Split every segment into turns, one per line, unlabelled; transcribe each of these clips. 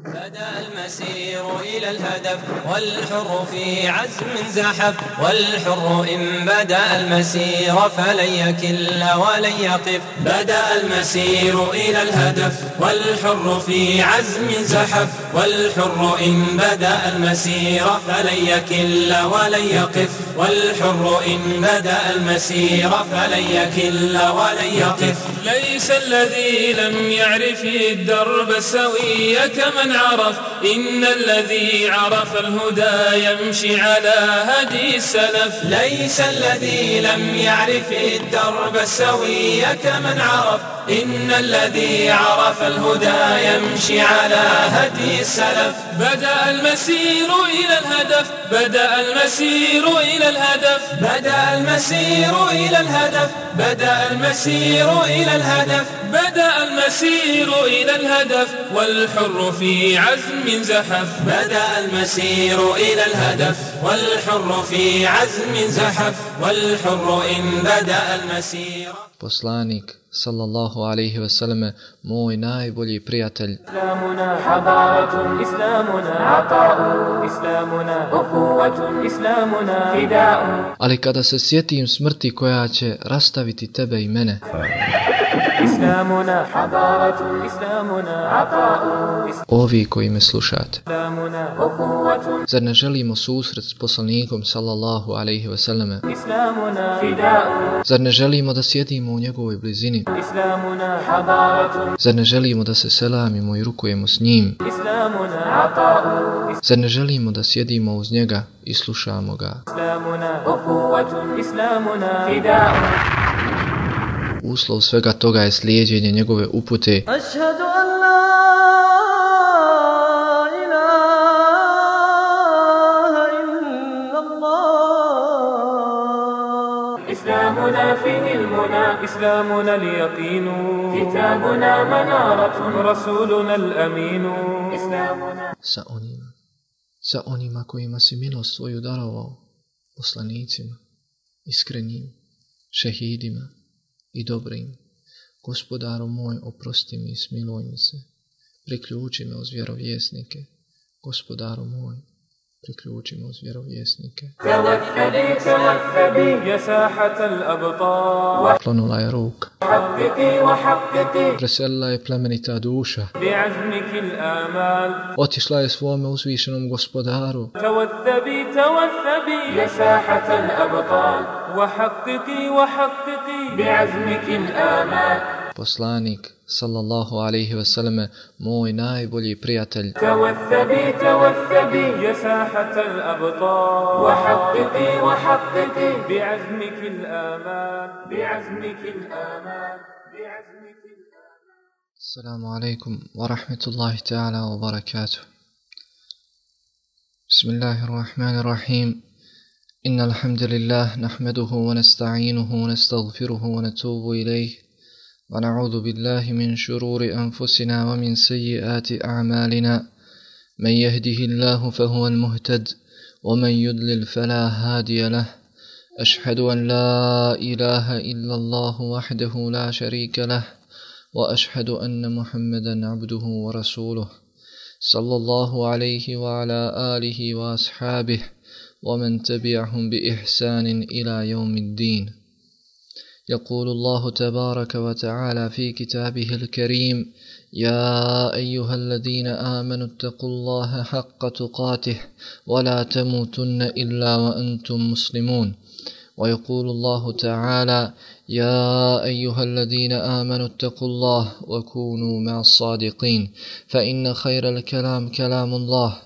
بدأ المسير إلى الهدف والحر في عزم زحف والحر إن بدأ المسير فلن يكل ولن يقف بدأ المسير إلى الهدف والحر في عزم زحف والحر إن بدأ المسير فلن يكل ولن يقف والحر إن بدأ المسير فلن يكل ولن يقف ليس الذي لم يعرف الدرب السوي كمن عرف إن الذي عرف الهدى يمشي على هدي السلف ليس الذي لم يعرف الدرب السوي كمن عرف إن الذي عرف الهدى يمشي على هدي السلف بدأ المسير إلى الهدف بدأ المسير إلى الهدف بدأ المسير إلى الهدف بدأ المسير إلى الهدف بدأ المسير إلى الهدف والحر في عزم زحف بدأ المسير إلى الهدف والحر في عزم زحف والحر إن بدأ المسير.
Poslanik sallallahu alejhi ve selleme, moj najbolji prijatelj.
Islamuna hadaratun, islamuna ata'u, islamuna ukhuwatun, islamuna fida'u.
Ali kada se sjetim smrti koja će rastaviti tebe i mene,
Islamuna hadaratun, islamuna ata'u,
ovi koji me slušate,
islamuna ukhuwatun,
zar ne želimo susret s poslanikom sallallahu alejhi ve selleme?
islamuna fida'u,
Zar ne želimo da sjedimo u njegovoj blizini?
islamuna hadaratun,
Zar ne želimo da se selamimo i rukujemo s njim?
islamuna ata'u,
Zar ne želimo da sjedimo uz njega i slušamo ga?
islamuna ukhuwatun, islamuna fida'u.
Uslov svega toga je slijeđenje njegove upute.
Ašhadu an la ilaha illallah.
إسلامنا فيه المنى إسلامنا اليقين كتابنا منارة رسولنا الأمين إسلامنا
Sa onima kojima si milost svoju darovao, poslanicima, iskrenim, šehidima i dobrim. Gospodaru moj, oprosti mi i smiluj mi se. Priključi me uz vjerovjesnike. Gospodaru moj, priključi me uz vjerovjesnike.
توثبي يا ساحة الأبطال
Klonula je ruka.
حققي وحققي
Preselila je plemenita duša.
بعزمك الآمال
Otišla je svome uzvišenom gospodaru.
توثبي يا ساحة الأبطال وحققي بعزمك الآمال
Poslanik sallallahu alejhi ve selleme, moj najbolji prijatelj.
توثبي يا ساحة الأبطال وحققي بعزمك الآمال بعزمك الآمال بعزمك الآمال.
Assalamu alaikum wa rahmatullahi ta'ala wa barakatuh. Bismillahirrahmanirrahim. Inna alhamdulillah nahmaduhu wa nasta'inuhu wa nastaghfiruhu wa natubu ilayh. ونعوذ بالله من شرور أنفسنا ومن سيئات أعمالنا من يهده الله فهو المهتد ومن يضلل فلا هادي له أشهد أن لا إله إلا الله وحده لا شريك له وأشهد أن محمدا عبده ورسوله صلى الله عليه وعلى آله وأصحابه ومن تبعهم بإحسان إلى يوم الدين. يقول الله تبارك وتعالى في كتابه الكريم: يا أيها الذين آمنوا اتقوا الله حق تقاته ولا تموتن إلا وأنتم مسلمون. ويقول الله تعالى: يا أيها الذين آمنوا اتقوا الله وكونوا مع الصادقين فإن خير الكلام كلام الله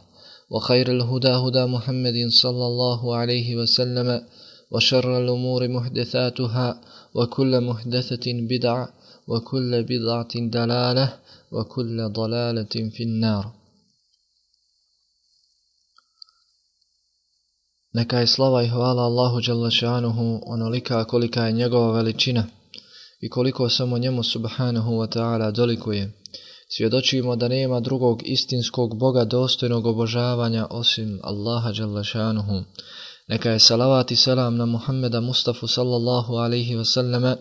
وخير الهدى هدى محمد صلى الله عليه وسلم وشر الأمور محدثاتها وكل محدثة بدعة وكل بدعة دلالة وكل ضلالة في النار. Neka je slava i hvala Allahu dželle šanuhu onolika kolika je njegova veličina i koliko samo njemu subhanahu wa ta'ala dolikuje. Svjedočimo da nema drugog istinskog Boga dostojnog obožavanja osim Allaha dželle šanuhu. Neka je salavat i selam na Muhammeda Mustafa sallallahu alaihi wa sallame,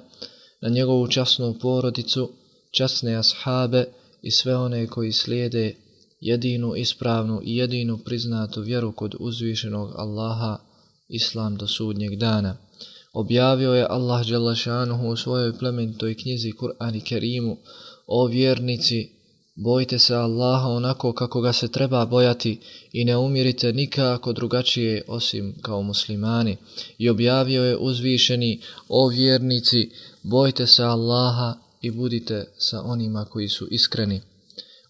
na njegovu časnu porodicu, časne ashabe i sve one koji slijede jedinu ispravnu i jedinu priznatu vjeru kod uzvišenog Allaha, Islam do sudnjeg dana. Objavio je Allah dželle šanuhu u svojoj plemenitoj knjizi Kur'an i Kerimu: o vjernici, bojte se Allaha onako kako ga se treba bojati i ne umirite nikako drugačije osim kao muslimani. I objavio je uzvišeni: o vjernici, bojte se Allaha i budite sa onima koji su iskreni.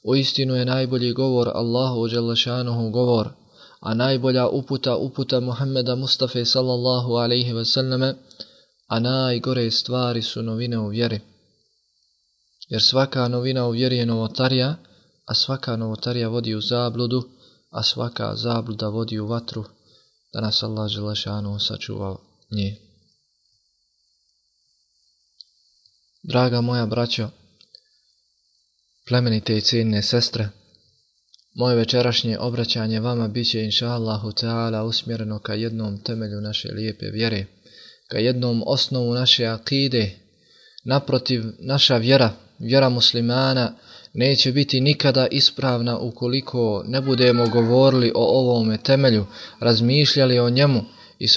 Uistinu je najbolji govor Allahu dželle šanuhu govor, a najbolja uputa Muhammeda Mustafe sallallahu alejhi ve selleme, a najgore stvari su novine u vjeri. Jer svaka novina u vjeri je novotarija, a svaka novotarija vodi u zabludu, a svaka zabluda vodi u vatru, da nas Allah dželle šanuhu sačuva nje. Draga moja braćo, plemenite i cijenine sestre, moje večerašnje obraćanje vama biće inša Allahu Teala usmjereno ka jednom temelju naše lijepe vjere, ka jednom osnovu naše akide. Naprotiv, naša vjera muslimana neće biti nikada ispravna ukoliko ne budemo govorili o ovome temelju, razmišljali o njemu i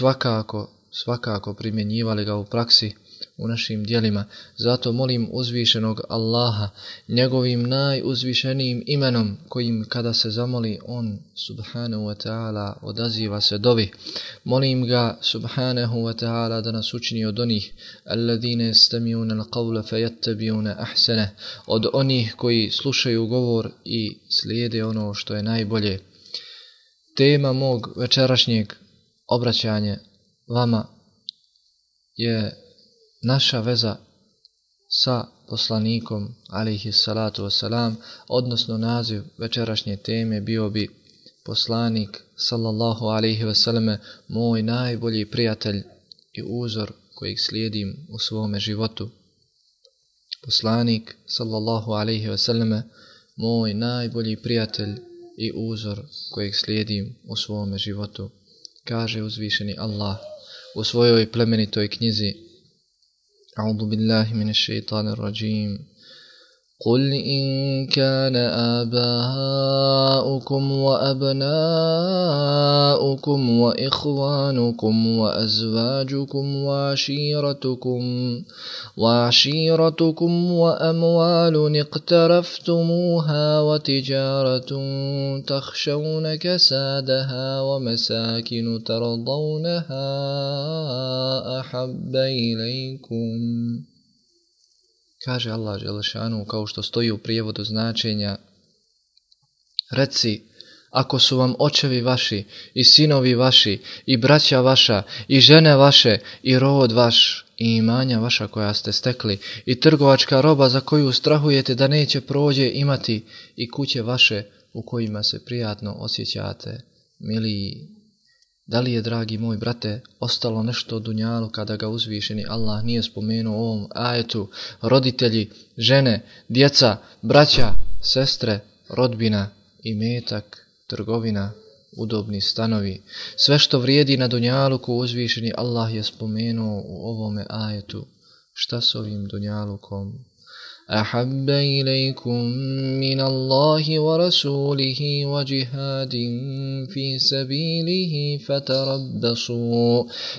svakako primjenjivali ga u praksi, u našim djelima. Zato molim uzvišenog Allaha, njegovim najuzvišenijim imenom, kojim kada se zamoli on subhanahu wa ta'ala odaziva se dovi. Molim ga subhanahu wa ta'ala da nas učini od onih alladine yastami'una al-qawla fayattabi'una ahsana, od onih koji slušaju govor i slijede ono što je najbolje. Tema mog večerašnjeg obraćanja vama je naša veza sa poslanikom alejhi salatu vesselam, odnosno naziv večerašnje teme bio bi poslanik sallallahu alejhi ve selleme, moj najbolji prijatelj i uzor kojeg slijedim u svome životu. Poslanik sallallahu alejhi ve selleme, moj najbolji prijatelj i uzor kojeg slijedim u svome životu. Kaže uzvišeni Allah u svojoj plemenitoj knjizi: أعوذ بالله من الشيطان الرجيم قل إن كان آباؤكم وأبناؤكم وإخوانكم وأزواجكم وعشيرتكم وأموال اقترفتموها وتجارة تخشون كسادها ومساكن ترضونها أحب إليكم. Kaže Allah dželle šanuhu, kao što stoji u prijevodu značenja: reci, ako su vam očevi vaši i sinovi vaši i braća vaša i žene vaše i rod vaš i imanja vaša koja ste stekli i trgovačka roba za koju strahujete da neće prođe imati i kuće vaše u kojima se prijatno osjećate, miliji, da li je, dragi moj brate, ostalo nešto od dunjalu kada ga uzvišeni Allah nije spomenuo u ovom ajetu? Roditelji, žene, djeca, braća, sestre, rodbina, imetak, trgovina, udobni stanovi. Sve što vrijedi na dunjaluku uzvišeni Allah je spomenuo u ovome ajetu. Šta s ovim dunjalukom? أحب إليكم من الله ورسوله وجهاد في سبيله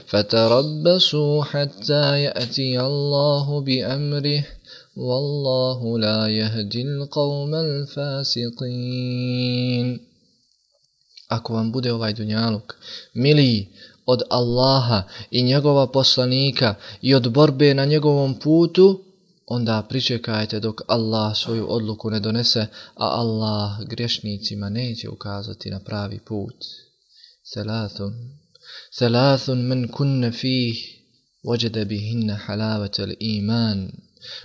فتربصوا حتى يأتي الله بأمره والله لا يهدي القوم الفاسقين. Ako vam bude ovaj dunjaluk miliji od Allaha i njegova poslanika i od borbe na njegovom putu, onda pričekajte dok Allah svoju odluku ne donese, a Allah grešnicima neće ukazati na pravi put. Thalathun men kunne fih wajada bihinna halavatal iman.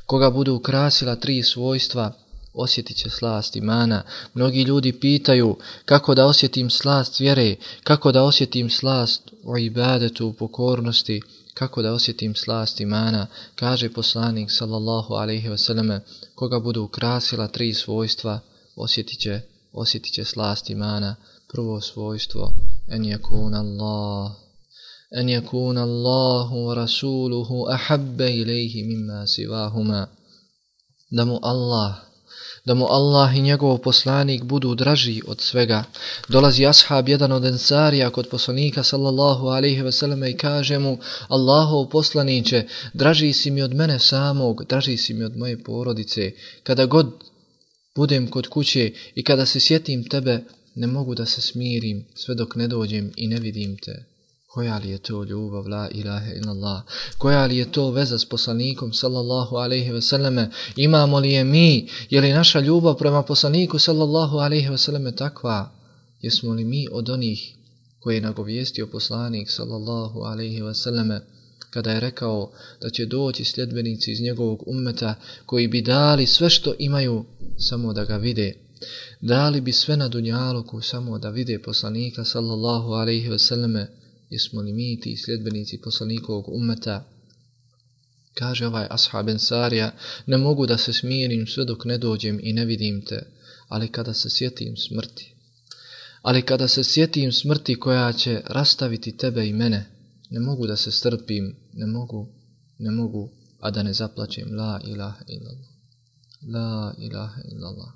Koga budu ukrasila 3 svojstva, osjetit će slast imana. Mnogi ljudi pitaju kako da osjetim slast vjere, kako da osjetim slast u ibadetu, u pokornosti, kako da osjetim slast imana. Kaže poslanik sallallahu alejhi ve selleme, koga budu ukrasila 3 svojstva, osjetit će slast imana. Prvo svojstvo, en yakuna Allahu wa rasuluhu ahabba ilayhi mimma sivahuma, da mu Allah, da mu Allah i njegov poslanik budu draži od svega. Dolazi ashab jedan od ensarija kod poslanika sallallahu alejhi ve selleme i kaže mu: Allahov poslaniće, draži si mi od mene samog, draži si mi od moje porodice. Kada god budem kod kuće i kada se sjetim tebe, ne mogu da se smirim sve dok ne dođem i ne vidim te. Koja li je to ljubav, la ilaha illallah? Koja li je to veza s poslanikom sallallahu alejhi ve selleme? Imamo li je mi? Je li naša ljubav prema poslaniku sallallahu alejhi ve selleme takva? Jesmo li mi od onih koji je nagovijestio poslanik sallallahu alejhi ve selleme kada je rekao da će doći sljedbenici iz njegovog ummeta koji bi dali sve što imaju samo da ga vide? Dali bi sve na dunjaluku samo da vide poslanika sallallahu alejhi ve selleme. Jesmo li mi ti sljedbenici poslanikovog ummeta? Kaže ovaj ashab ensarija: ne mogu da se smirim sve dok ne dođem i ne vidim te, ali kada se sjetim smrti koja će rastaviti tebe i mene, ne mogu da se strpim, ne mogu, a da ne zaplačem. La ilaha illallah. La ilaha illallah.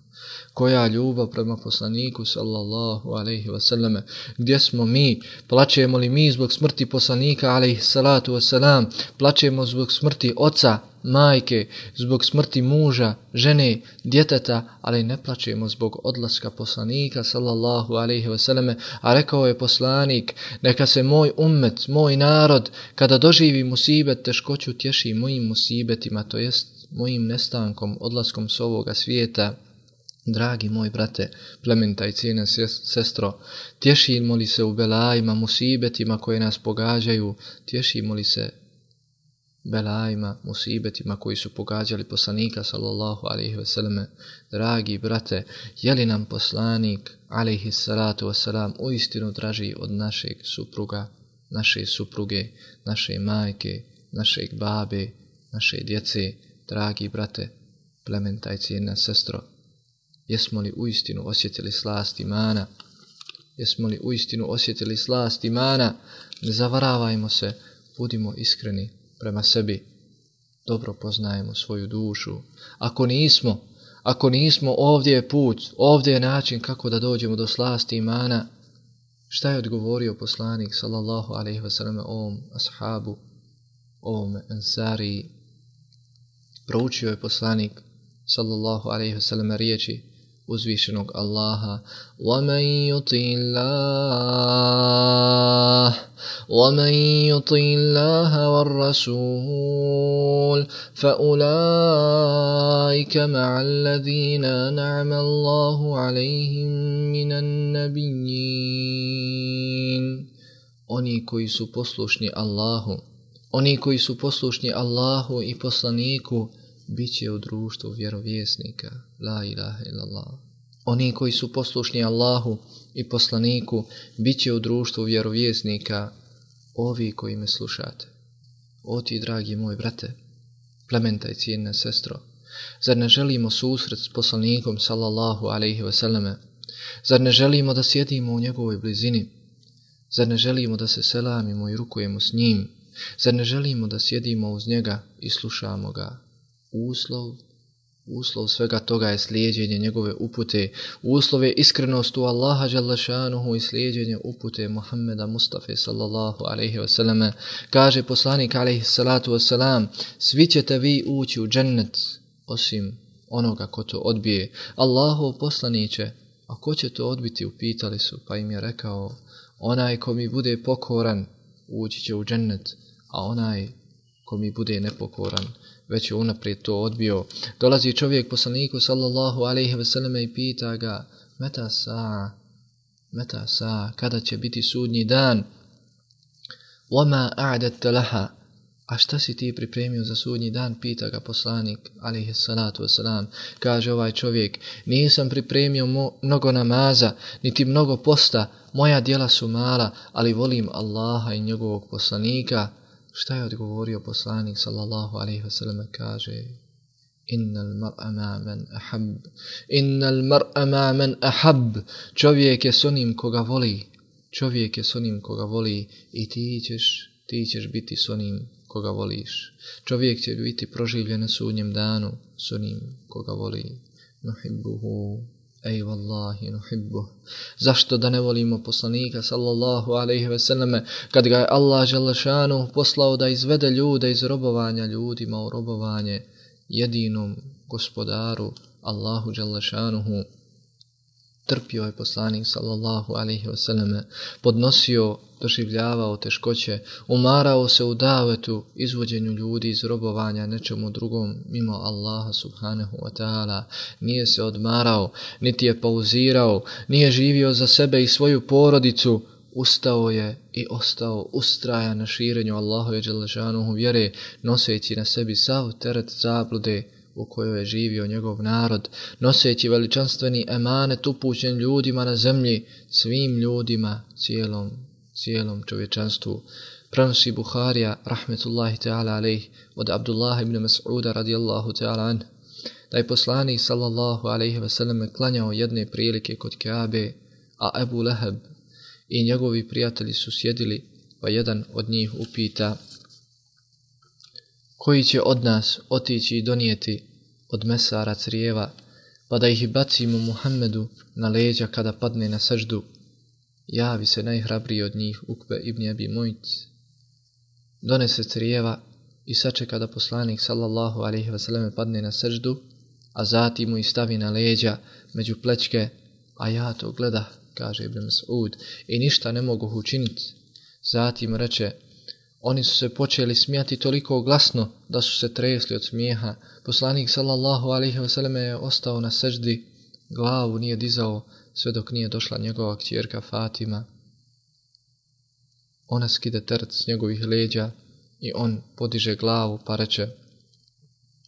Koja ljubav prema poslaniku sallallahu alejhi ve selleme? Gdje smo mi? Plačemo li mi zbog smrti poslanika alejhi salatu vesselam? Plačemo zbog smrti oca, majke, zbog smrti muža, žene, djeteta, ali ne plačemo zbog odlaska poslanika sallallahu alejhi ve selleme. A rekao je poslanik: neka se moj ummet, moj narod, kada doživi musibet, teškoću tješi mojim musibetima, to jest mojim nestankom, odlaskom s ovoga svijeta. Dragi moj brate, plemenita i cijena sestro, tješimo li se u belajima, musibetima koje nas pogađaju? Tješimo li se belajima, musibetima koji su pogađali poslanika sallallahu alejhi ve selleme? Dragi brate, je li nam poslanik alejhi salatu vesselam uistinu draži od našeg supruga, naše supruge, naše majke, našeg babe, naše djece? Dragi brate, plemenita i cijena sestro, jesmo li uistinu osjetili slast imana? Jesmo li uistinu osjetili slast imana? Ne zavaravajmo se, budimo iskreni prema sebi. Dobro poznajemo svoju dušu. Ako nismo, ovdje je put, ovdje je način kako da dođemo do slasti imana. Šta je odgovorio poslanik sallallahu alejhi ve selleme ovom ashabu, ovom ensariji? Proučio je poslanik sallallahu alejhi ve selleme riječi uzvišenog Allaha: وَمَنْ يُطِعِ اللَّهَ وَالرَّسُولَ فَأُولَئِكَ مَعَ الَّذِينَ أَنْعَمَ اللَّهُ عَلَيْهِمْ مِنَ النَّبِيِّينَ. Oni koji su poslušni Allahu i poslaniku bit će u društvu vjerovjesnika. La ilaha illallah. Oni koji su poslušni Allahu i poslaniku bit će u društvu vjerovjesnika. Ovi koji me slušate, o ti dragi moj brate, plemenita i cijena sestro, zar ne želimo susret s poslanikom sallallahu alejhi ve selleme? Zar ne želimo da sjedimo u njegovoj blizini? Zar ne želimo da se selamimo i rukujemo s njim? Zar ne želimo da sjedimo uz njega i slušamo ga? Uslov svega toga je slijeđenje njegove upute. Uslov je iskrenost u Allaha dželle šanuhu i slijeđenje upute Muhammeda Mustafe sallallahu alejhi ve selleme. Kaže poslanik alejhi salatu vesselam: svi ćete vi ući u džennet osim onoga ko to odbije. Allahov poslaniće, a ko će to odbiti, upitali su, pa im je rekao: onaj ko mi bude pokoran ući će u džennet, a onaj ko mi bude nepokoran već je unaprijed to odbio. Dolazi čovjek poslaniku sallallahu alejhi ve selleme i pita ga: meta sa, kada će biti sudnji dan? Wama a'datta laha, a šta si ti pripremio za sudnji dan? Pita ga poslanik alejhi salatu vesselam. Kaže ovaj čovjek: nisam pripremio mnogo namaza, niti mnogo posta, moja djela su mala, ali volim Allaha i njegovog poslanika. Šta je odgovorio poslanik sallallahu alejhi ve sellem? Kaže: innal mar'a ma man ahab. Čovjek je s onim koga voli i ti ćeš biti s onim koga voliš. Čovjek će biti proživljen na sudnjem danu s onim koga voli. nuhibbuhu. Ej wallahi nuhibbuh. Zašto da ne volimo poslanika sallallahu alejhi ve selleme kad ga je Allah dželle šanuhu poslao da izvede ljude iz robovanja ljudima u robovanje jedinom gospodaru Allahu dželle šanuhu. Trpio je poslanik sallallahu alejhi ve selleme, podnosio, doživljavao teškoće, umarao se u davetu, izvođenju ljudi iz robovanja nečemu drugom mimo Allaha subhanahu wa ta'ala. Nije se odmarao, niti je pauzirao, nije živio za sebe i svoju porodicu. Ustao je i ostao ustrajan na širenju Allahove dželle šanuhu vjere, noseći na sebi sav teret zablude u kojoj je živio njegov narod, noseći veličanstveni emanet upućen ljudima na zemlji, svim ljudima, cijelom čovječanstvu. Prenosi Buharija, rahmetullahi ta'ala alejh, od Abdullah ibn Mas'uda radijallahu ta'ala anh, da je poslanik sallallahu alejhi ve selleme klanjao jedne prilike kod Kabe, a Ebu Leheb i njegovi prijatelji su sjedili, pa jedan od njih upita: koji će od nas otići i donijeti od mesara crijeva, pa da ih bacimo Muhammedu na leđa kada padne na seždu? Javi se najhrabriji od njih, Ukbe ibn Abi Mu'ayt. Donese crijeva i sačeka da poslanik sallallahu alejhi ve selleme padne na seždu, a zatim mu ih stavi na leđa među plećke, a ja to gleda, kaže Ibn Mas'ud, i ništa ne mogu učiniti. Zatim reče: oni su se počeli smijati toliko glasno da su se tresli od smijeha. Poslanik sallallahu alejhi ve selleme je ostao na seždi, glavu nije dizao sve dok nije došla njegova kćerka Fatima. Ona skide teret s njegovih leđa i on podiže glavu pa reče: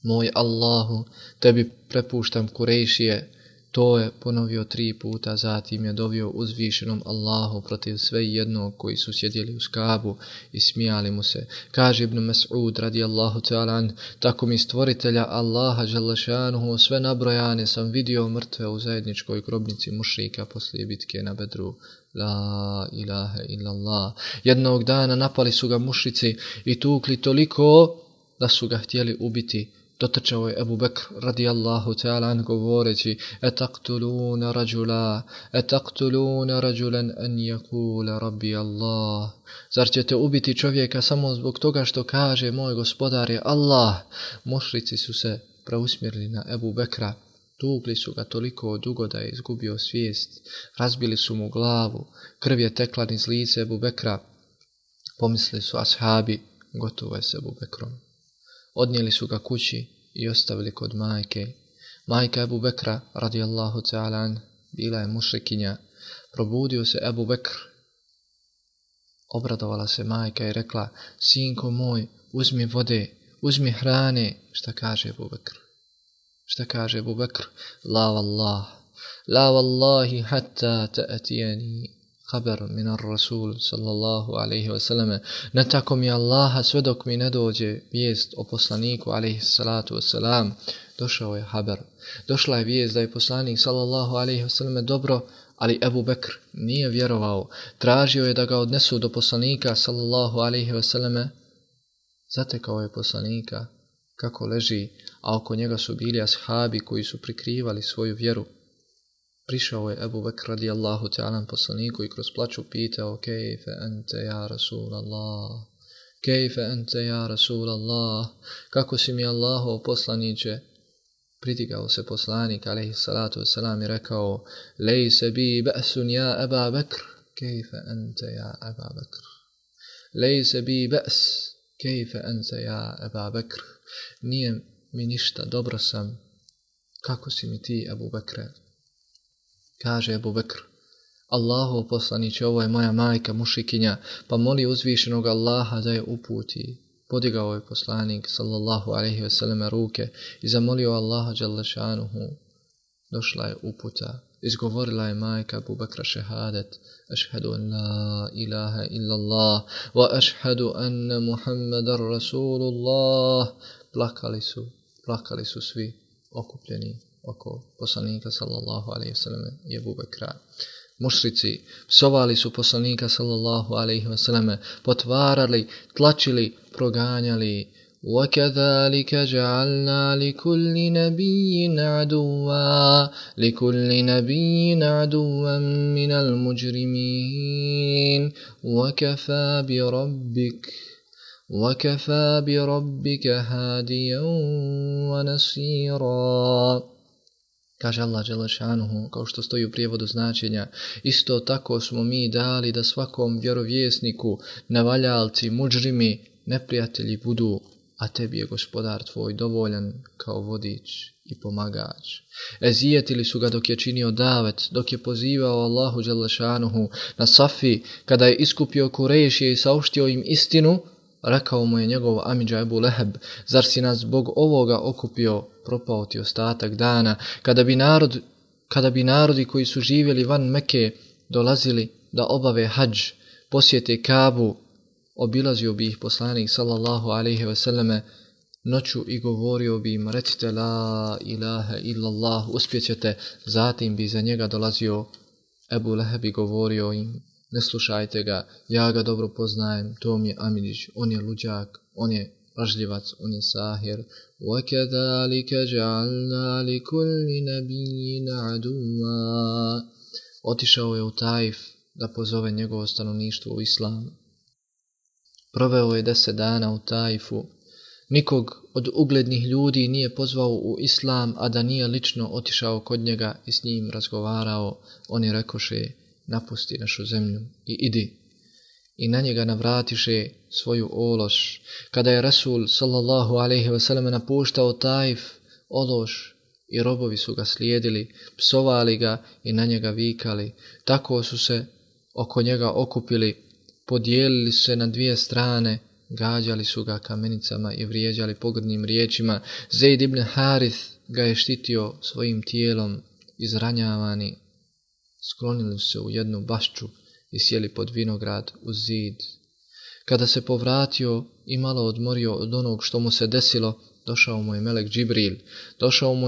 moj Allahu, tebi prepuštam Kurejšije. To je ponovio 3 puta, zatim je dovio uzvišenom Allahu protiv sve jednog koji su sjedili uz Kabu i smijali mu se. Kaže Ibn Mas'ud radijallahu ta'ala an: tako mi stvoritelja Allaha dželle šanuhu sve nabrojane sam vidio mrtve u zajedničkoj grobnici mušrika poslije bitke na Bedru. La ilaha illallah. Jednog dana napali su ga mušrici i tukli toliko da su ga htjeli ubiti. Dotrčao je Ebu Bekr radijallahu ta'ala an govoreći: etaqtuluna rajulan an yakula rabbi Allah. Zar ćete ubiti čovjeka samo zbog toga što kaže moj gospodar je Allah? Mušrici su se preusmjerili na Ebu Bekra, tukli su ga toliko dugo da je izgubio svijest, razbili su mu glavu, krv je tekla niz lice Ebu Bekra. Pomislili su ashabi: gotovo je s Ebu Bekrom. Odnijeli su ga kući i ostavili kod majke. Majka Ebu Bekra radijallahu ta'ala an bila je mušrikinja. Probudio se Ebu Bekr. Obradovala se majka i rekla: sinko moj, uzmi vode, uzmi hrane. Šta kaže Ebu Bekr? La wallahi hatta ta'tiyani haber minar Rasul sallallahu alaihi wa sallam. Ne tako mi Allaha sve dok mi ne dođe vijest o poslaniku alaihi salatu wa salam. Došao je haber. Došla je vijest da je poslanik sallallahu alaihi wa sallam dobro, ali Ebu Bekr nije vjerovao. Tražio je da ga odnesu do poslanika sallallahu alaihi wa sallam. Zatekao je poslanika kako leži, a oko njega su bili ashabi koji su prikrivali svoju vjeru. Prišao je Ebu Bekr radijallahu ta'ala poslaniku i kroz plaću pitao: kejfe ente ja Rasulallah, kejfe ente ja Rasulallah, kako si mi Allahov poslaniče? Pridigao se poslanik alejhi salatu vesselam i rekao: lejse bi ba'sun ja Eba Bekr, kejfe ente ja Eba Bekr. Lejse bi ba's, kejfe ente ja Eba Bekr. Nije mi ništa, dobro sam. Kako si mi ti, Ebu Bekre? Kaže Ebu Bekr: Allahov poslaniče, ovo je moja majka mušikinja, pa moli uzvišenog Allaha da je uputi. Podigao je poslanik sallallahu alejhi ve selleme ruke i zamolio Allaha dželle šanuhu. Došla je uputa. Izgovorila je majka Ebu Bekra šehadet: ašhadu an la ilaha illallah wa ašhadu anna Muhammadar Rasulullah. Plakali su svi okupljeni oko poslanika sallallahu alejhi ve selleme i Ebu Bekra. Mušrici psovali su poslanika sallallahu alejhi ve selleme, potvarali, tlačili, proganjali, وكذلك جعلنا لكل نبي عدوا من المجرمين وكفى بربك هاديا ونصيرا. Kaže Allah dželle šanuhu, kao što stoji u prijevodu značenja, isto tako smo mi dali da svakom vjerovjesniku nevaljalci, mudžrimi, neprijatelji budu, a tebi je gospodar tvoj dovoljan kao vodič i pomagač. Ezijetili su ga dok je činio davet, dok je pozivao Allahu dželle šanuhu na Safi, kada je iskupio Kurejšije i saopštio im istinu. Rekao mu je njegov amidža Ebu Leheb, zar si nas zbog ovoga okupio, propao ti ostatak dana, kada bi narodi koji su živjeli van Meke dolazili da obave hadž, posjete Kabu, obilazio bi ih poslanik sallallahu alejhi ve selleme noću i govorio bi im, recite la ilaha illallah, uspjećete. Zatim bi za njega dolazio Ebu Leheb i govorio im, ne slušajte ga, ja ga dobro poznajem, to mi je Amidžić, on je luđak, on je lažljivac, on je sahir. وَكَذَلِكَ جَعَلْنَا لِكُلِّ نَبِيٍّ عَدُوًّا. Otišao je u Taif da pozove njegovo stanovništvo u islam. Proveo je 10 dana u Taifu. Nikog od uglednih ljudi nije pozvao u islam, a da nije lično otišao kod njega i s njim razgovarao. Oni rekoše, napusti našu zemlju i idi. I na njega navratiše svoju ološ. Kada je Rasul sallallahu alejhi ve sellem napuštao Taif, ološ i robovi su ga slijedili, psovali ga i na njega vikali. Tako su se oko njega okupili, podijelili su se na 2 strane, gađali su ga kamenicama i vrijeđali pogrdnim riječima. Zeid ibn Harith ga je štitio svojim tijelom, izranjavani. Sklonili su se u jednu bašču i sjeli pod vinograd uz zid. Kada se povratio i malo odmorio od onog što mu se desilo, došao mu je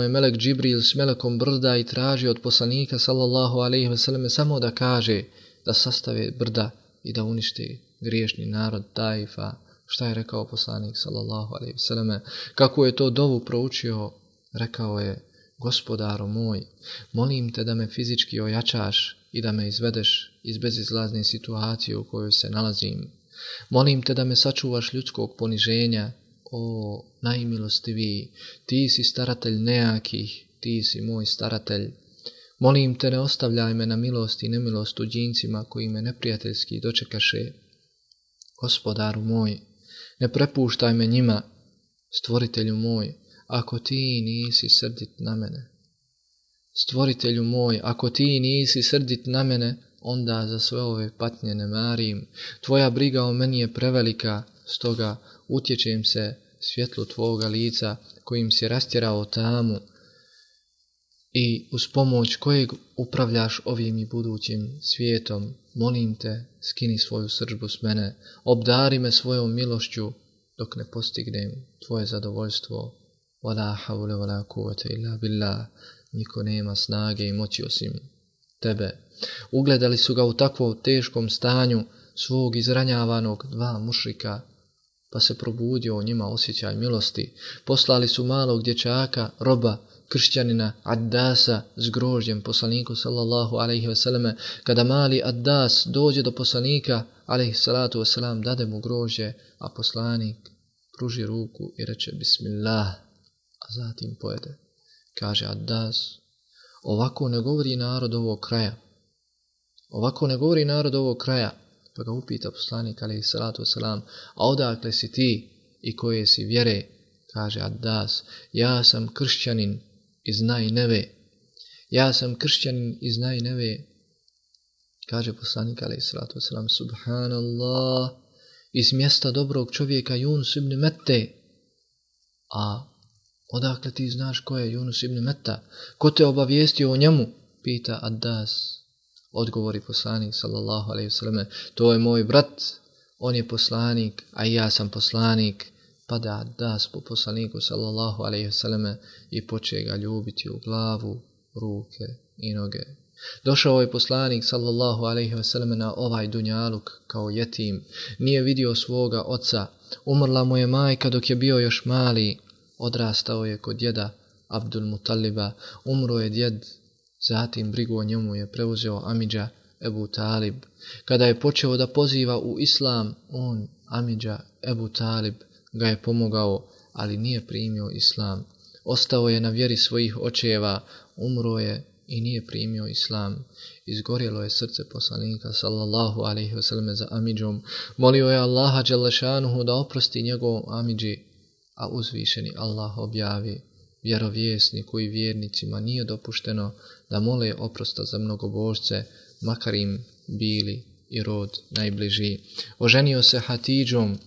melek Džibril s melekom brda i tražio od poslanika sallallahu alejhi ve selleme samo da kaže da sastave brda i da unište griješni narod Taifa. Šta je rekao poslanik sallallahu alejhi ve selleme? Kako je to dovu proučio? Rekao je, gospodaru moj, molim te da me fizički ojačaš i da me izvedeš iz bezizlazne situacije u kojoj se nalazim. Molim te da me sačuvaš ljudskog poniženja, o najmilostiviji, ti si staratelj nejakih, ti si moj staratelj. Molim te, ne ostavljaj me na milost i nemilost tuđincima koji me neprijateljski dočekaše. Gospodaru moj, ne prepuštaj me njima, stvoritelju moj, ako ti nisi srdit na mene. Stvoritelju moj, ako ti nisi srdit na mene, onda za sve ove patnje ne marim. Tvoja briga o meni je prevelika, stoga utječem se svjetlu tvoga lica kojim si rastjerao tamu i uz pomoć kojeg upravljaš ovim i budućim svijetom. Molim te, skini svoju srdžbu s mene, obdari me svojom milošću dok ne postignem tvoje zadovoljstvo. Wala hawla wala quwwata illa billah. Niko nema snage i moći osim tebe. Ugledali su ga u takvom teškom stanju svog izranjavanog 2 mušrika, pa se probudio u njima osjećaj milosti. Poslali su malog dječaka, roba, kršćanina Addasa s grožđem poslaniku sallallahu alejhi ve selleme. Kada mali Addas dođe do poslanika alejhi salatu vesselam, dade mu grožđe, a poslanik pruži ruku i reče bismillah, a zatim pojede. Kaže Addas, ovako ne govori narod ovog kraja. Ovako ne govori narod ovog kraja. Pa ga upita poslanik alejhi salatu vesselam, a odakle si ti i koje si vjere? Kaže Addas, ja sam kršćanin iz Najneve. Ja sam kršćanin iz Najneve. Kaže poslanik alejhi salatu vesselam, subhanallah, iz mjesta dobrog čovjeka Yunus ibn Mette. A odakle ti znaš ko je Yunus ibn Metta? Ko te obavijestio o njemu? Pita Addas. Odgovori poslanik sallallahu alejhi ve selleme, to je moj brat, on je poslanik, a ja sam poslanik. Pada Addas po poslaniku sallallahu alejhi ve selleme i poče ga ljubiti u glavu, ruke i noge. Došao je poslanik sallallahu alejhi ve selleme na ovaj dunjaluk kao jetim, nije vidio svoga oca, Umrla mu je majka dok je bio još mali. Odrastao je kod djeda Abdul Mutaliba. Umro je djed, zatim brigu o njemu je preuzeo amidža Ebu Talib. Kada je počeo da poziva u islam, on, amidža Ebu Talib, ga je pomogao, ali nije primio islam. Ostao je na vjeri svojih očeva, umro je i nije primio islam. Izgorjelo je srce poslanika sallallahu alejhi ve selleme za amidžom. Molio je Allaha dželle šanuhu da oprosti njegovom amidži, a uzvišeni Allah objavi: vjerovjesniku i vjernicima nije dopušteno da mole oprosta za mnogobožce, makar im bili i rod najbliži. Oženio se Hatidžom,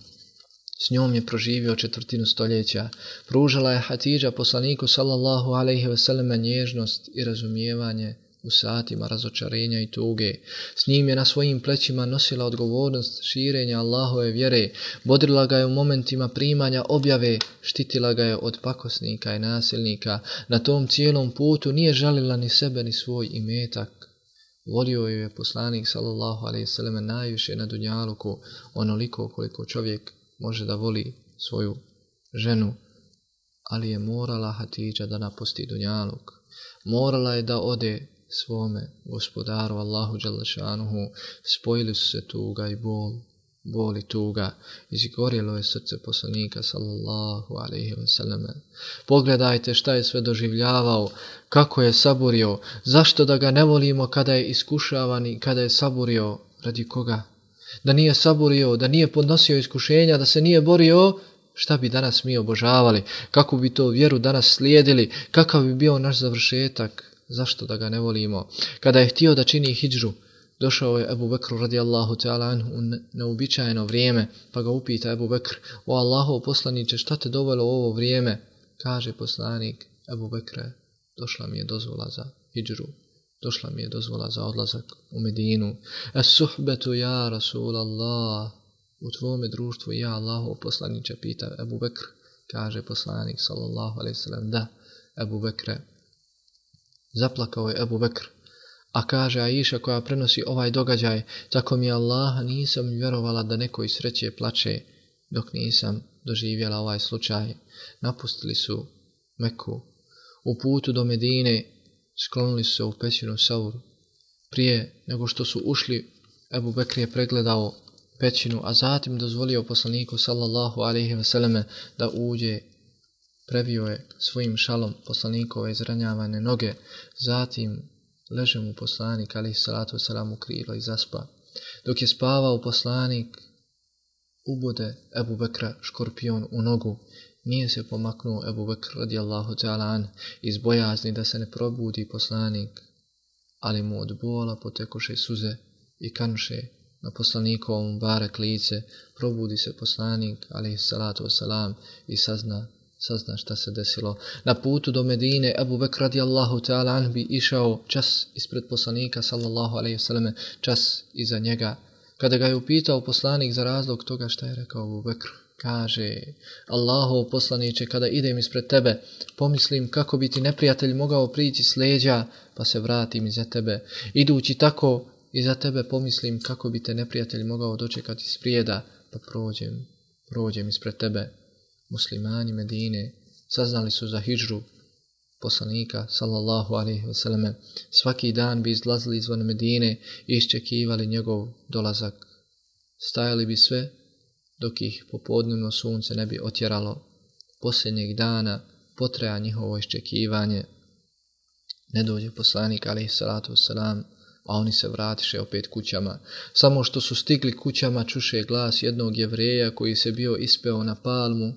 s njom je proživio 1/4 stoljeća. Pružala je Hatidža poslaniku sallallahu alejhi ve selleme nježnost i razumijevanje u satima razočarenja i tuge. S njim je na svojim plećima nosila odgovornost širenja Allahove vjere, bodrila ga je u momentima primanja objave, štitila ga je od pakosnika i nasilnika. Na tom cijelom putu nije žalila ni sebe ni svoj imetak. Volio ju je poslanik sallallahu alejhi ve selleme najviše na dunjaluku, onoliko koliko čovjek može da voli svoju ženu, ali je morala Hatidža da napusti dunjaluk. Morala je da ode svome gospodaru Allahu dželle šanuhu. Spojili su se tuga i bol i tuga. Izgorjelo je srce poslanika sallallahu alejhi ve selleme. Pogledajte šta je sve doživljavao, kako je saburio. Zašto da ga ne volimo kada je iskušavan i kada je saburio? Radi koga? Da nije saburio, da nije podnosio iskušenja, da se nije borio, šta bi danas mi obožavali? Kako bi to vjeru danas slijedili? Kakav bi bio naš završetak? Zašto da ga ne volimo? Kada je htio da čini hidžru, došao je Ebu Bekr radijallahu ta'ala anhu u neobičajeno vrijeme, pa ga upita Ebu Bekr: o Allahov poslaniče, šta te dovelo u ovo vrijeme? Kaže poslanik: Ebu Bekre, došla mi je dozvola za hidžru, došla mi je dozvola za odlazak u Medinu. Es-suhbetu ja Rasulallah, u tvome društvu ja Allahov poslaniče, pita Ebu Bekr. Kaže poslanik sallallahu alejhi ve sellem: da, Ebu Bekre. Zaplakao je Ebu Bekr, a kaže Aisha koja prenosi ovaj događaj: tako mi Allaha nisam vjerovala da neko iz sreće plače dok nisam doživjela ovaj slučaj. Napustili su Meku. U putu do Medine sklonili su se u pećinu Saur. Prije nego što su ušli, Ebu Bekr je pregledao pećinu, a zatim dozvolio poslaniku sallallahu alejhi ve selleme da uđe. Previo je svojim šalom poslanikove izranjavane noge, zatim leže mu poslanik alejhi salatu vesselam u krilo i zaspa. Dok je spavao poslanik, ubode Ebu Bekra škorpion u nogu. Nije se pomaknuo Ebu Bekr radijallahu ta'ala an iz bojazni da se ne probudi poslanik, ali mu od bola potekoše suze i kanuše na poslanikovom barek lice. Probudi se poslanik alejhi salatu vesselam i sazna šta se desilo. Na putu do Medine Ebu Bekr radijallahu ta'ala an bi išao čas ispred poslanika sallallahu alejhi ve selleme, čas iza njega. Kada ga je upitao poslanik za razlog toga, šta je rekao Ebu Bekr? Kaže: Allahov poslaniče, kada idem ispred tebe, pomislim kako bi ti neprijatelj mogao prići s leđa, pa se vratim iza tebe. Idući tako iza tebe, pomislim kako bi te neprijatelj mogao dočekati sprijeda, pa prođem ispred tebe. Muslimani Medine saznali su za hidžru poslanika sallallahu alejhi ve selleme. Svaki dan bi izlazili izvan Medine i iščekivali njegov dolazak. Stajali bi sve dok ih popodnevno sunce ne bi otjeralo. Posljednjeg dana potraja njihovo iščekivanje. Ne dođe poslanik alejhi salatu vesselam, a oni se vratiše opet kućama. Samo što su stigli kućama, čuše glas jednog Jevreja koji se bio ispeo na palmu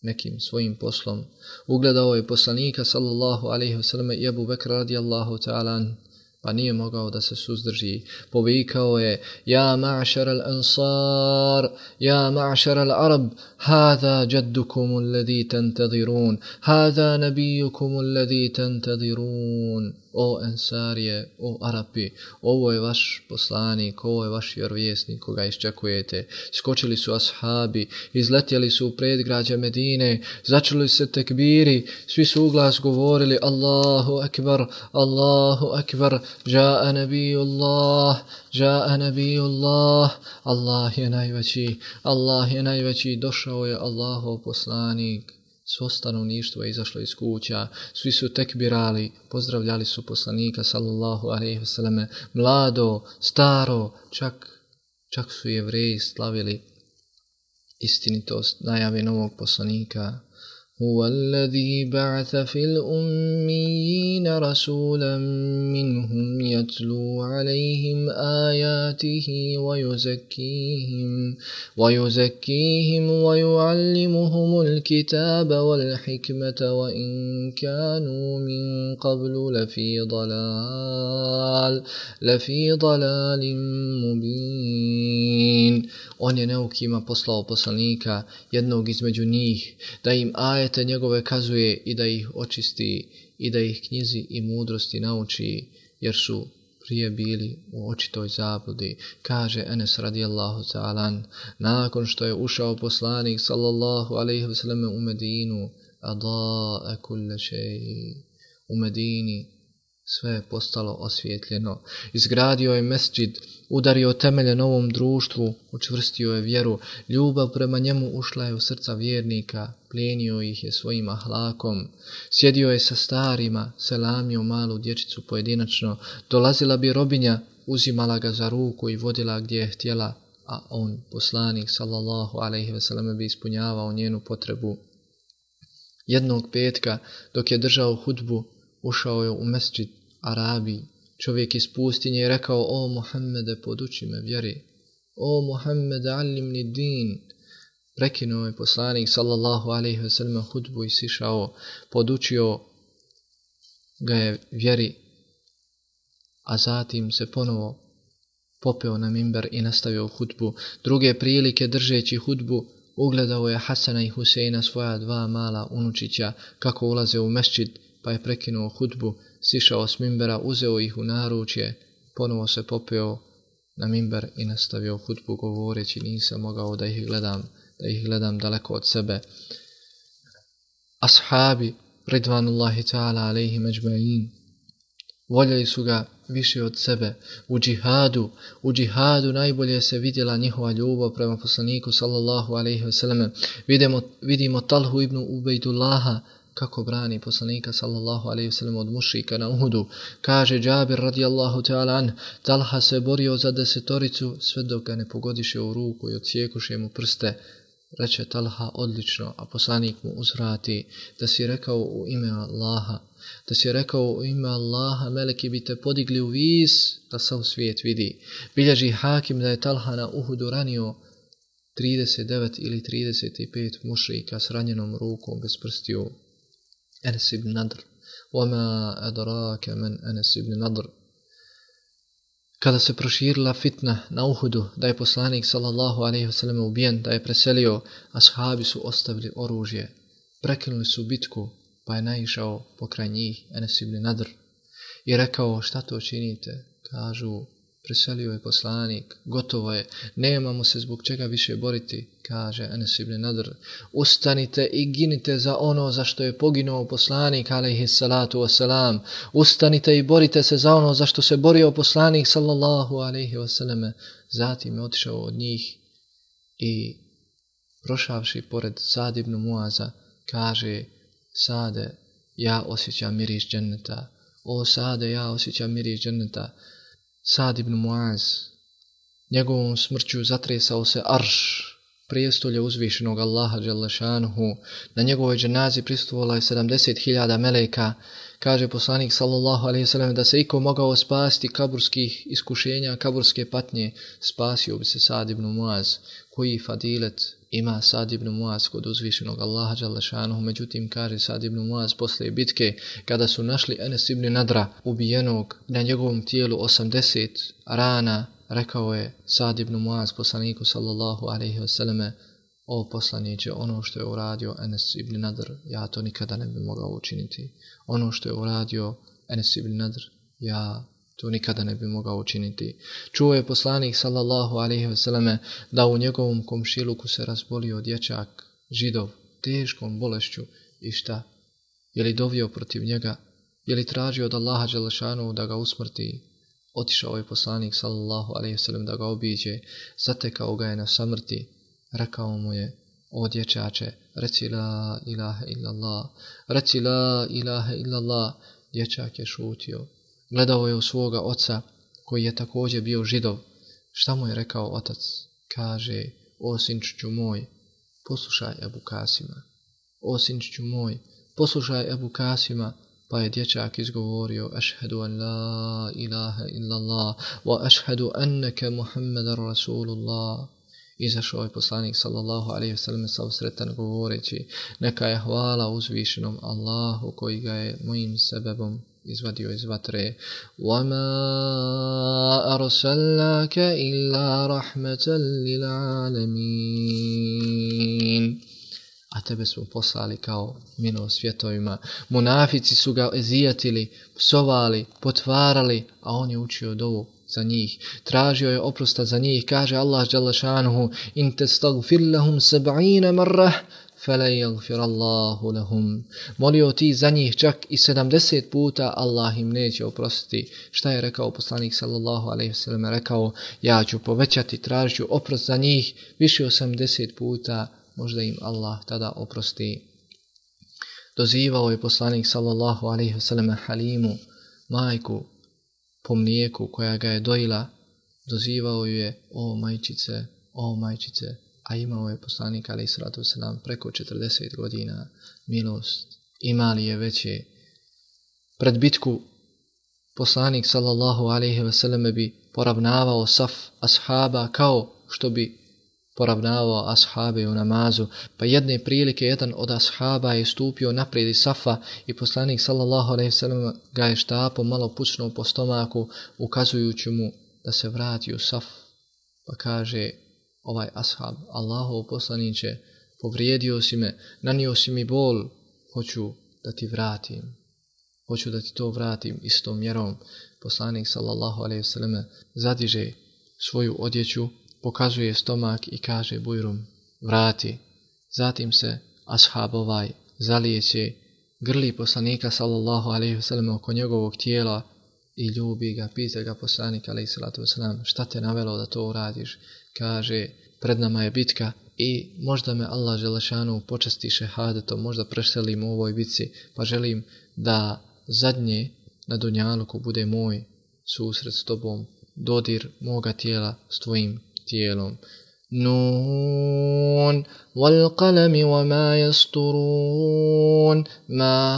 nekim svojim poslom. Ugledao je poslanika sallallahu alejhi ve selleme i Ebu Bekra radijallahu ta'ala an, pa nije mogao da se suzdrži. Povikao je: ja ma'šar al-ansar, ja ma'šar al-arab, hada jaddukum alladhi tantadirun, hada nabijukum alladhi tantadirun. O Ensarije, o Arapi, ovo je vaš poslanik, ovo je vaš vjerovjesnik koga iščekujete. Skočili su ashabi, izletjeli su u predgrađe Medine, začuli se tekbiri, svi su uglas govorili: Allahu akbar, Allahu akbar. Ja'a nabiyullah, ja'a nabiyullah. Allah je najveći, Allah je najveći, došao je Allahov poslanik. Svo stanovništvo je izašlo iz kuća, svi su tekbirali, pozdravljali su poslanika sallallahu alejhi ve selleme, mlado, staro, čak su Jevreji slavili istinitost najave novog poslanika. هو الذي بعث في الأميين رسولا منهم يتلو عليهم آياته ويزكيهم ويعلمهم الكتاب والحكمة وإن كانوا من قبل لفي ضلال مبين. On je neukima poslao poslanika, jednog između njih, da im ajete njegove kazuje i da ih očisti i da ih knjizi i mudrosti nauči, jer su prije bili u očitoj zabludi. Kaže Enes radijallahu ta'ala, nakon što je ušao poslanik sallallahu alejhi ve selleme u Medinu, ada'a kulle shay, u Medini sve je postalo osvjetljeno. Izgradio je mesdžid, udario temelje novom društvu, učvrstio je vjeru, ljubav prema njemu ušla je u srca vjernika, plijenio ih je svojim ahlakom, sjedio je sa starima, selamio malu dječicu pojedinačno, dolazila bi robinja, uzimala ga za ruku i vodila gdje je htjela, a on, poslanik sallallahu alejhi ve selleme, bi ispunjavao njenu potrebu. Jednog petka, dok je držao hudbu, ušao je u mesdžid Arabi, čovjek iz pustinje, i rekao: o Muhammede, poduči me vjeri, o Muhammede, allimni din. Prekinuo je poslanik sallallahu alejhi ve sellem hudbu i sišao, podučio ga je vjeri, a zatim se ponovo popeo na minber i nastavio hudbu. Druge prilike, držeći hudbu, ugledao je Hasana i Huseina, svoja dva mala unučića, kako ulaze u mesdžid, pa je prekinuo hudbu, sišao s minbera, uzeo ih u naručje, ponovo se popeo na minber i nastavio hudbu, govoreći: nisam mogao da ih gledam daleko od sebe. Ashabi ridvanullahi ta'ala alejhim ejma'in voljeli su ga više od sebe. U džihadu najbolje se vidjela njihova ljubav prema poslaniku sallallahu alejhi ve selleme. Vidimo Talhu ibn Ubejdullaha kako brani poslanika sallallahu alejhi ve sellem od mušrika na Uhudu. Kaže Džabir radijallahu ta'ala an, Talha se borio za 10 sve dok ga ne pogodiše u ruku i odsjekuše mu prste. Reče Talha: odlično, a poslanik mu uzvrati: da si rekao u ime Allaha, meleki bi te podigli u vis da sav svijet vidi. Bilježi Hakim da je Talha na Uhudu ranio 39 ili 35 mušrika s ranjenom rukom bez prstiju. Enes ibn Nadr. Wama adraka man Enes ibn Nadr. Kada se proširila fitna na Uhudu, da je poslanik sallallahu alejhi ve sellem ubijen, da je preselio, ashabi su ostavili oružje. Prekinuli su bitku, pa je naišao pokraj njih Enes ibn Nadr i rekao: šta to činite? Kažu: preselio je poslanik, gotovo je, nemamo se zbog čega više boriti. Kaže Enes ibn Nadr: ustanite i ginite za ono za što je poginuo poslanik alejhi salatu wasalam. Ustanite i borite se za ono za što se borio poslanik sallallahu alejhi wasallam. Zatim je otišao od njih i prošavši pored Sad ibn Muaza, kaže: Sade, ja osjećam miris dženneta. O Sade, ja osjećam miris dženneta. Sad ibn Muaz, njegovom smrću zatresao se arš, prijestolje uzvišenog Allaha dželle šanuhu. Na njegovoj dženazi prisustvovala je 70.000 meleka. Kaže poslanik sallallahu alejhi ve sellem da se iko mogao spasiti kaburskih iskušenja, kaburske patnje, spasio bi se Sad ibn Muaz. Koji fadilet ima Sad ibn Muaz kod uzvišenog Allaha dželle šanuhu. Međutim, kaže Sad ibn Muaz posle bitke, kada su našli Enes ibn Nadra ubijenog, na njegovom tijelu 80 rana, rekao je Sad ibn Muaz poslaniku sallallahu alejhi ve selleme: o poslaniče, ono što je uradio Enes ibn Nadr, ja to nikada ne bi mogao učiniti. Ono što je uradio Enes ibn Nadr, ja to nikada ne bi mogao učiniti. Čuo je poslanik sallallahu alejhi ve selleme da u njegovom komšiluku se razbolio dječak, Židov, teškom bolešću, i šta? Je li dovio protiv njega? Je li tražio od Allaha dželešanu da ga usmrti? Otišao je poslanik sallallahu alejhi ve sellem da ga obiđe, zatekao ga je na samrti, rekao mu je: o dječače, reci la ilaha illallah, reci la ilaha illallah. Dječak je šutio. Gledao je u svoga oca, koji je također bio Židov. Šta mu je rekao otac? Kaže: o sinčiću moj, poslušaj Ebu Kasima. O sinčiću moj, poslušaj Ebu Kasima. Pa je dječak izgovorio: ašhedu an la ilaha illallah wa ašhedu anneke Muhammedan Rasulullah. Izašao je poslanik sallallahu alejhi ve sellem sav sretan govoreći: neka je hvala uzvišenom Allahu koji ga je mojim sebebom izvadio iz vatre. وَمَا أَرْسَلْنَاكَ إِلَّا رَحْمَةً لِلْعَالَمِينَ. A tebe smo poslali kao milost svjetovima. Munafici su ga ezijatili, psovali, potvarali, a on je učio dovu za njih. Tražio je oprosta za njih. Kaže Allah dželle šanuhu: in tastagfir lahum 70 marrah falan yaghfir Allahu lahum. Molio ti za njih čak i 70 puta, Allah im neće oprostiti. Šta je rekao poslanik sallallahu alejhi ve sellem? Rekao: ja ću povećati, tražit ću oprost za njih više 80 puta, možda im Allah tada oprosti. Dozivao je poslanik sallallahu alejhi ve sellem Halimu, majku po mlijeku koja ga je dojila. Dozivao ju je: o majčice, o majčice. A imao je poslanik alejhi salatu vesselam preko 40 godina. Milost ima li je veće? Pred bitku poslanik sallallahu alejhi ve sellem bi poravnavao saf ashaba kao što bi poravnavao ashabe u namazu. Pa jedne prilike jedan od ashaba je stupio naprijed iz safa i poslanik sallallahu alejhi ve sellem ga je štapom malo pucnuo po stomaku, ukazujući mu da se vrati u saf. Pa kaže ovaj ashab: Allahov poslaniče, povrijedio si me, nanio si mi bol, hoću da ti vratim. Hoću da ti to vratim istom mjerom. Poslanik sallallahu alejhi ve sellem zadiže svoju odjeću, pokazuje stomak i kaže bujrum: vrati. Zatim se ashab ovaj zalijeće, grli poslanika sallallahu alejhi ve sellem oko njegovog tijela i ljubi ga. Pita ga poslanik alejhi salatu vesselam: šta te navelo da to uradiš? Kaže: pred nama je bitka i možda me Allah dželešanu počasti šehadetom, možda preselim u ovoj bitci, pa želim da zadnje na dunjaluku bude moj susret s tobom, dodir moga tijela s tvojim tijelom. Nun wal qalami wa ma yasturun ma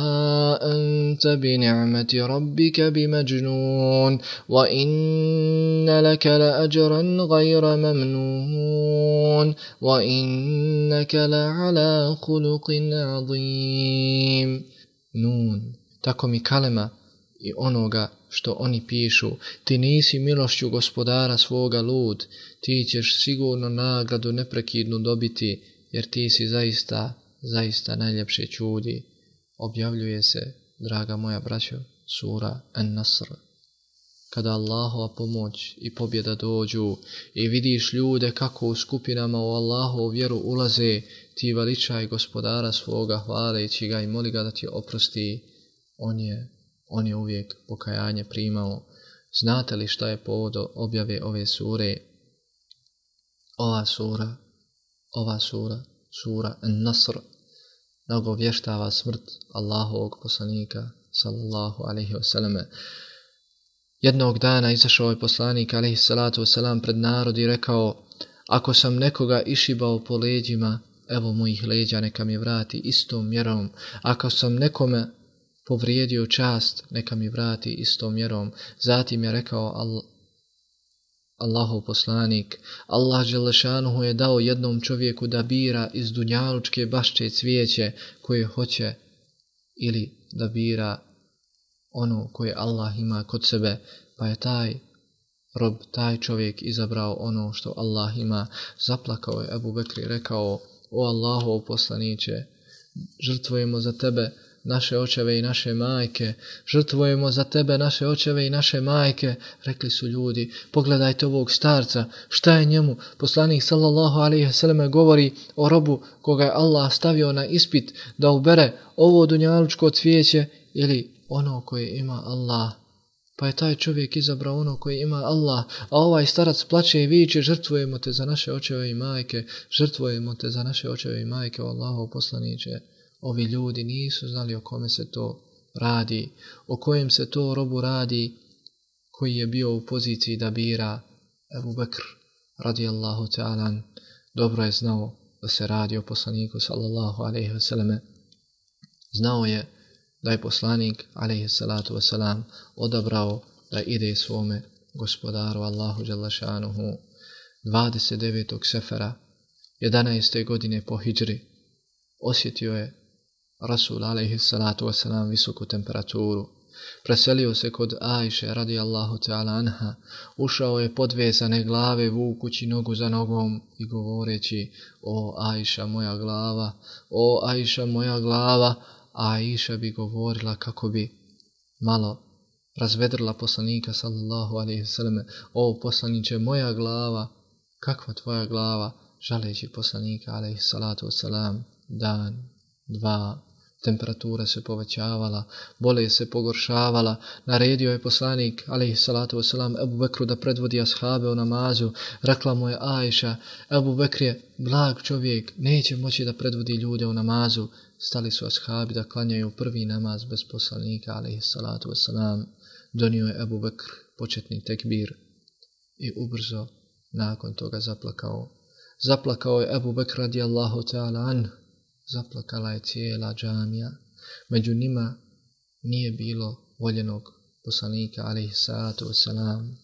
anta bi ni'mati rabbika bimajnun wa inna laka la ajran ghayra mamnun wa innaka la ala khuluqin azim. Nun, tako mi kalema i onoga što oni pišu, ti nisi milošću gospodara svoga lud, ti ćeš sigurno nagradu neprekidnu dobiti, jer ti si zaista, zaista najljepše čudi. Objavljuje se, draga moja braćo, sura An-Nasr. Kada Allahova pomoć i pobjeda dođu i vidiš ljude kako u skupinama u Allahovu vjeru ulaze, ti veličaj gospodara svoga hvaleći ga i moli ga da ti oprosti. On je uvijek pokajanje primao. Znate li šta je povod objave ove sure? Ova sura An-Nasr, nagovještava smrt Allahovog poslanika sallallahu alejhi ve selleme. Jednog dana izašao je poslanik alejhi salatu vesselam pred narod i rekao: ako sam nekoga išibao po leđima, evo mojih leđa neka mi vrati istom mjerom. Ako sam nekome povrijedio čast, neka mi vrati istom mjerom. Zatim je rekao Allahov poslanik: Allah dželešanuhu je dao jednom čovjeku da bira iz dunjalučke bašče cvijeće koje hoće, ili da bira ono koje Allah ima kod sebe, pa je taj čovjek izabrao ono što Allah ima. Zaplakao je Ebu Bekr i rekao: o Allahov poslaniće, žrtvujemo za tebe naše očeve i naše majke, žrtvujemo za tebe naše očeve i naše majke. Rekli su ljudi: pogledajte ovog starca, šta je njemu? Poslanik sallallahu alejhi ve selleme govori o robu koga je Allah stavio na ispit da ubere ovo dunjalučko cvijeće ili ono koje ima Allah. Pa je taj čovjek izabrao ono koje ima Allah, a ovaj starac plače i viče, žrtvujemo te za naše očeve i majke, žrtvujemo te za naše očeve i majke, o Allahov poslaniče. Ovi ljudi nisu znali o kome se to radi, o kojem se to robu radi, koji je bio u poziciji da bira. Ebu Bekr, radijallahu ta'ala, dobro je znao da se radi o poslaniku, sallallahu alaihi wasallam. Znao je da je poslanik, alaihi salatu wasalam, odabrao da ide svome gospodaru Allahu dželle šanuhu 29. sefera 11. godine po hidžri. Osjetio je Rasul alaihi salatu wasalam visoku temperaturu. Preselio se kod Ajše radijallahu ta'ala anha, ušao je podvezane glave vukući nogu za nogom i govoreći: o Ajša moja glava, o Ajša moja glava. A Aisha bi govorila kako bi malo razvedrila poslanika sallallahu alaihi wasallam: o poslaniče, moja glava, kakva tvoja glava, žaleći poslanika alaihi salatu wasalam. Dan, dva, temperatura se povećavala, bolest se pogoršavala. Naredio je poslanik alejhi salatu vesselam Ebu Bekru da predvodi ashabe u namazu. Rekla mu je Ajša: Ebu Bekr je blag čovjek, neće moći da predvodi ljude u namazu. Stali su ashabi da klanjaju prvi namaz bez poslanika alejhi salatu vesselam. Donio je Ebu Bekr početni tekbir i ubrzo nakon toga zaplakao. Zaplakao je Ebu Bekr radijallahu ta'ala anhu. Zaplakala je cijela džamija. Među njima nije bilo voljenog poslanika alejhi salatu vesselam.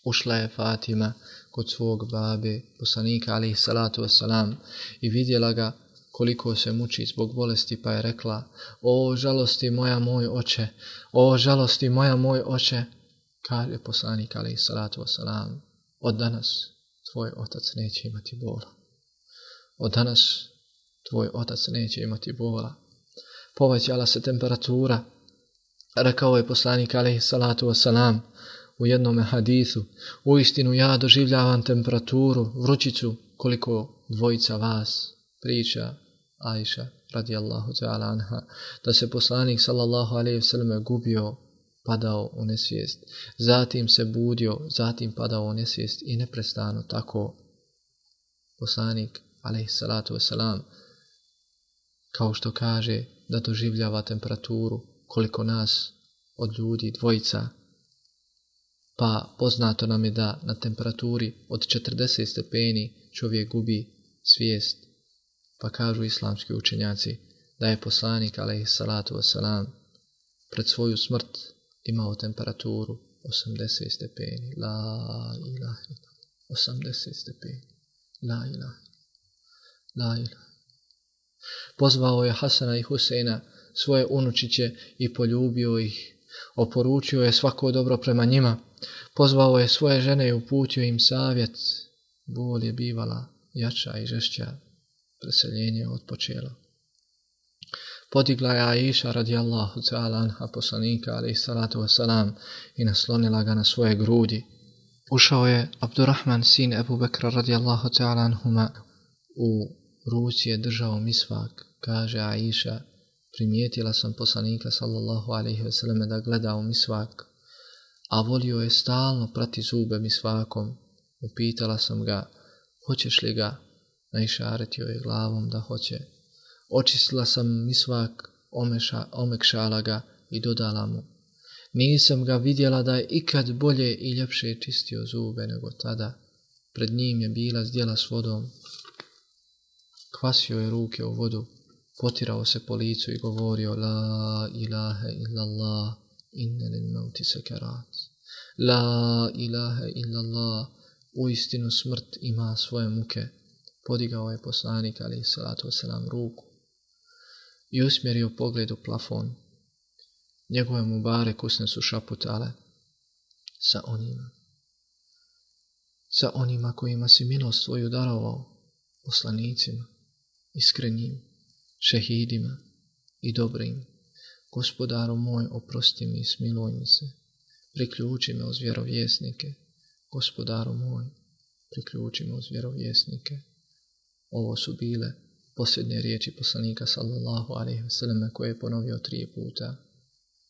Ušla je Fatima kod svog babe poslanika alejhi salatu vesselam i vidjela ga koliko se muči zbog bolesti, pa je rekla: o žalosti moja moj oče, o žalosti moja moj oče. Kaže poslanik alejhi salatu vesselam: od danas tvoj otac neće imati bola. Od danas tvoj otac neće imati bola. Povećala se temperatura. Rekao je poslanik alejhi salatu vesselam u jednom hadisu: uistinu ja doživljavam temperaturu, vrućicu koliko dvojica vas. Priča Ajša radijallahu ta'ala anha da se poslanik sallallahu alejhi ve selleme gubio, padao u nesvijest, zatim se budio, zatim padao u nesvijest i neprestano tako. Poslanik alejhi salatu vesselam, kao što kaže da doživljava temperaturu koliko nas od ljudi dvojica, pa poznato nam je da na temperaturi od 40 stepeni čovjek gubi svijest. Pa kažu islamski učenjaci da je poslanik alejhi salatu vesselam pred svoju smrt imao temperaturu 80 stepeni. La ilaha illallah. 80 stepeni. La ilaha. La ilaha. Pozvao je Hasana i Huseina, svoje unučiće, i poljubio ih. Oporučio je svako dobro prema njima. Pozvao je svoje žene i uputio im savjet. Bol je bivala jača i žešća. Preseljenje je odpočelo. Podigla je Aisha radijallahu ta'ala anha poslanika alejhi salatu vesselam i naslonila ga na svoje grudi. Ušao je Abdurrahman sin Ebu Bekra radijallahu ta'ala anhuma. U ruci je držao misvak. Kaže Aisha: primijetila sam poslanika sallallahu alejhi ve selleme da gleda u misvak, a volio je stalno prati zube misvakom. Upitala sam ga: hoćeš li ga? Naišaretio je glavom da hoće. Očistila sam misvak, omekšala ga i dodala mu: nisam ga vidjela da je ikad bolje i ljepše čistio zube nego tada. Pred njim je bila zdjela s vodom. Kvasio je ruke u vodu, potirao se po licu i govorio: la ilaha illallah, inne lil mauti sekarat. La ilaha illallah, uistinu smrt ima svoje muke. Podigao je poslanik alejhi salatu vesselam ruku i usmjerio pogled u plafon. Njegove mubarek usne su šaputale: sa onima kojima si milost svoju darovao, poslanicima, iskrenim, šehidima i dobrim. Gospodaru moj, oprosti mi i smiluj mi se. Priključi me uz vjerovjesnike. Gospodaru moj, priključi me uz vjerovjesnike. Ovo su bile posljednje riječi poslanika sallallahu alejhi ve selleme koje je ponovio 3 puta.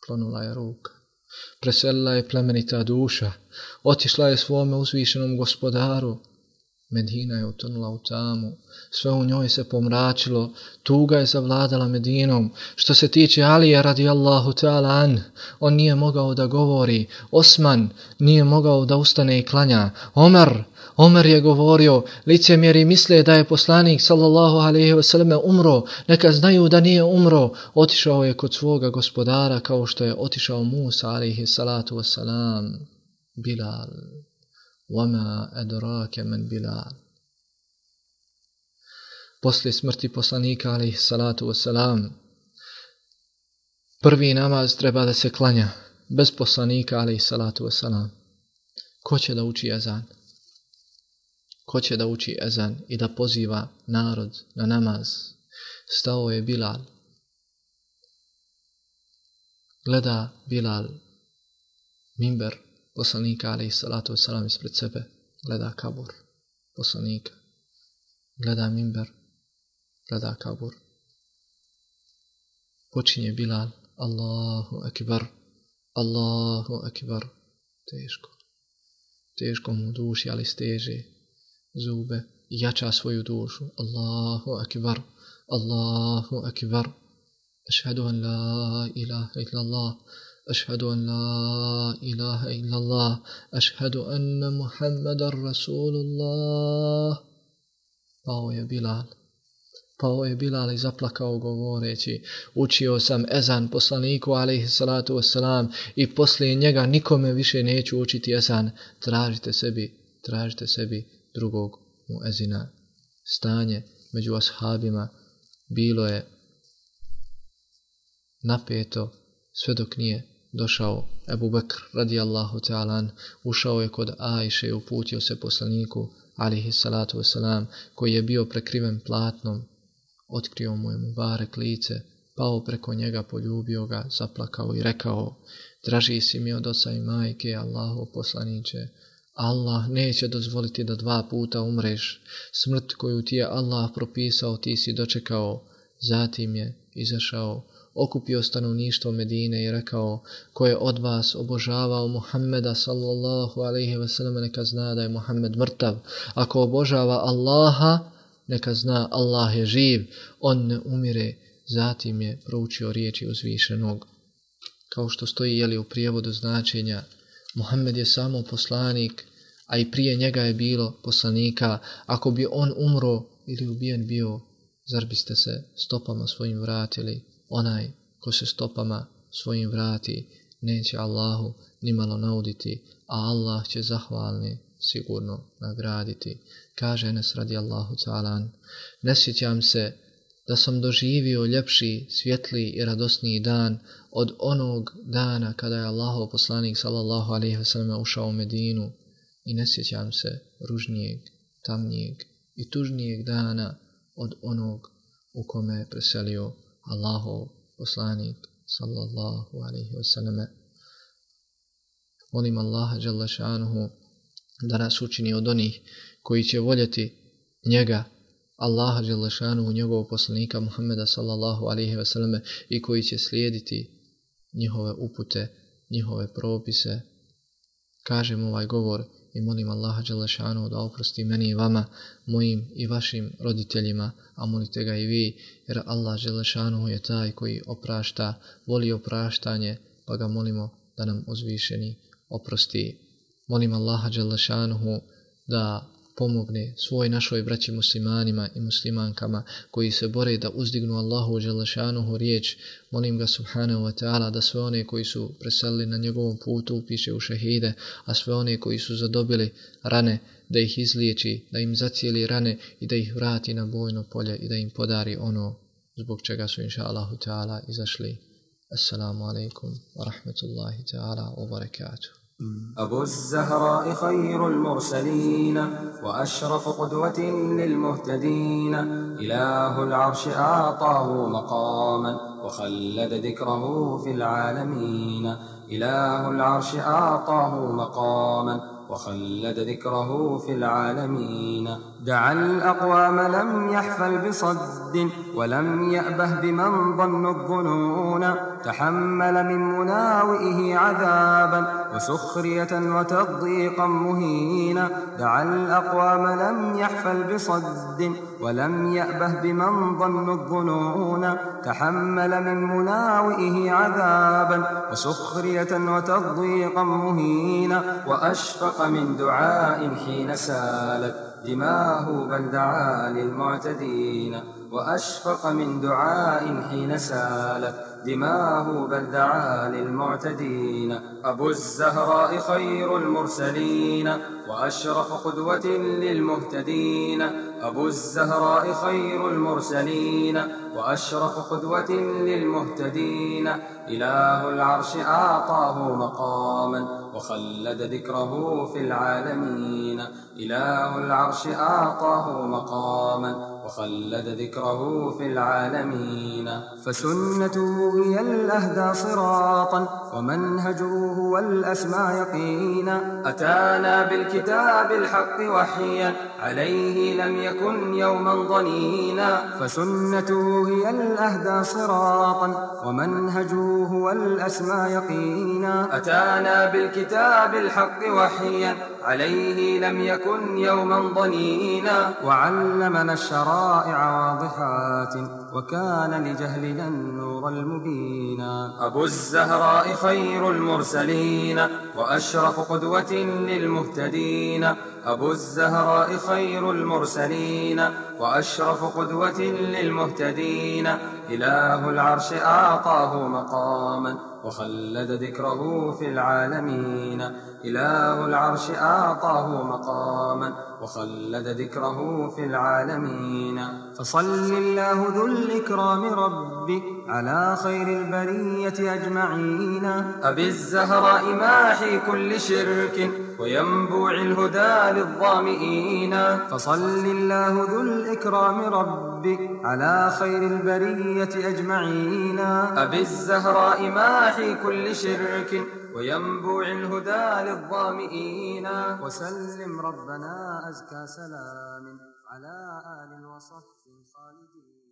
klonula je ruka. Preselila je plemenita duša, otišla je svome uzvišenom gospodaru. Medina je utonula u tamu, sve u njoj se pomračilo, tuga je zavladala Medinom. Što se tiče Alija radijallahu ta'ala an, on nije mogao da govori, Osman nije mogao da ustane i klanja, Omer je govorio, licemjeri misle da je poslanik sallallahu alejhi ve selleme umro, neka znaju da nije umro, otišao je kod svoga gospodara kao što je otišao Musa alejhi salatu vesselam. Bilal, wama adraka man Bilal. Poslije smrti poslanika alejhi salatu vesselam, prvi namaz treba da se klanja bez poslanika alejhi salatu vesselam. Ko će da uči ezan? Ko će da uči ezan i da poziva narod na namaz? Stao je Bilal. Gleda Bilal minber poslanika alejhi salatu vesselam ispred sebe, gleda kabur poslanika, gleda minber, gleda kabur. Počinje Bilal, Allahu akbar, Allahu akbar. Teško mu duši, ali steže zube i jača svoju dušu. Allahu akbar, Allahu akbar. Ašhadu an la ilaha illallah, ašhadu an la ilaha illallah, ašhadu anna Muhammadan Rasulullah. Pao je Bilal i zaplakao govoreći, učio sam ezan poslaniku alejhi salatu vesselam i poslije njega nikome više neću učiti ezan. Tražite sebi drugog muezina. Stanje među ashabima bilo je napeto sve dok nije došao Ebu Bekr radijallahu ta'ala, ušao je kod Ajše i uputio se poslaniku alejhi salatu vesselam, koji je bio prekriven platnom. Otkrio mu je mubarek lice, pao preko njega, poljubio ga, zaplakao i rekao, draži si mi od oca i majke, Allahov poslaniče. Allah neće dozvoliti da 2 puta umreš. Smrt koju ti je Allah propisao ti si dočekao. Zatim je izašao, okupio stanovništvo Medine i rekao, ko je od vas obožavao Muhammeda sallallahu alejhi ve sellem, neka zna da je Muhammed mrtav. Ako obožava Allaha, neka zna Allah je živ, on ne umire. Zatim je proučio riječi uzvišenog, kao što stoji u prijevodu značenja. Muhammed je samo poslanik, a i prije njega je bilo poslanika. Ako bi on umro ili ubijen bio, zar biste se stopama svojim vratili? Onaj ko se stopama svojim vrati, neće Allahu nimalo nauditi, a Allah će zahvalni sigurno nagraditi. Kaže Enes radijallahu ta'ala, ne sjećam se da sam doživio ljepši, svjetliji i radosniji dan od onog dana kada je Allahov poslanik sallallahu alejhi ve sellem ušao u Medinu, i ne sjećam se ružnijeg, tamnijeg i tužnijeg dana od onog u kome je preselio Allahov poslanik sallallahu alejhi ve sellem. Molim Allaha dželle šanuhu da nas učini od onih koji će voljeti njega, Allaha dželle šanuhu, njegovog poslanika Muhammeda sallallahu alejhi ve selleme, i koji će slijediti njihove upute, njihove propise. Kažem ovaj govor i molim Allaha dželle šanuhu da oprosti meni i vama, mojim i vašim roditeljima, a molite ga i vi, jer Allah dželle šanuhu je taj koji oprašta, voli opraštanje, pa ga molimo da nam uzvišeni oprosti. Molim Allaha dželle šanuhu da pomogne svoj našoj braći muslimanima i muslimankama koji se bore da uzdignu Allahu dželle šanuhu riječ. Molim ga subhanahu wa ta'ala da sve one koji su preselili na njegovom putu upiše u šehide, a sve one koji su zadobili rane da ih izliječi, da im zacijeli rane i da ih vrati na bojno polje i da im podari ono zbog čega su inša Allahu ta'ala izašli. Assalamu alaikum wa rahmatullahi ta'ala wa barakatuh.
أبو الزهراء خير المرسلين وأشرف قدوة للمهتدين إله العرش أعطاه مقاما وخلد ذكره في العالمين إله العرش أعطاه مقاما وخلد ذكره في العالمين. دعا الأقوام لم يحفل بصد ولم يأبه بمن ظن الظنون، تحمل من مناوئه عذابا وسخرية وتضييقا مهينا. دعا الأقوام لم يحفل بصد ولم يأبه بمن ظن الظنون، تحمل من مناوئه عذابا وسخرية وتضييقا مهينا. وأشفق من دعاء حين سالت دماه بل دعا للمعتدين. وأشفق من دعاء حين سالت دماه بل دعا للمعتدين. أبو الزهراء خير المرسلين وأشرف قدوة للمهتدين. أبو الزهراء خير المرسلين وأشرف قدوة للمهتدين. إله العرش أعطاه مقاما وخلد ذكره في العالمين. إله العرش أعطاه مقاما وخلد ذكره في العالمين. فسنته هي الأهدى صراطا ومنهجه هو الأسمى يقينا. أتانا بالكتاب الحق وحيا عليه لم يكن يوما ضنينا. فسنته هي الأهدى صراطا ومنهجه هو الأسمى يقينا. أتانا بالكتاب الحق وحيا عليه لم يكن يوما ضنينا. وعلمنا الشرائع واضحات وكان لجهلنا النور المبينا. أبو الزهراء خير المرسلين وأشرف قدوة للمهتدين. أبو الزهراء خير المرسلين وأشرف قدوة للمهتدين. إله العرش أعطاه مقاما وخلد ذكره في العالمين. إله العرش أعطاه مقاما وخلد ذكره في العالمين. فصل الله ذو الإكرام ربي على خير البرية أجمعين. أبي الزهراء ماحي كل شرك وينبوع الهدى للظامئين. فصل الله ذو الإكرام ربي على خير البرية أجمعين. أبي الزهراء ماحي كل شرك وينبوع الهدى للظامئين. وسلم ربنا أزكى سلام على آل وصحب خالدين.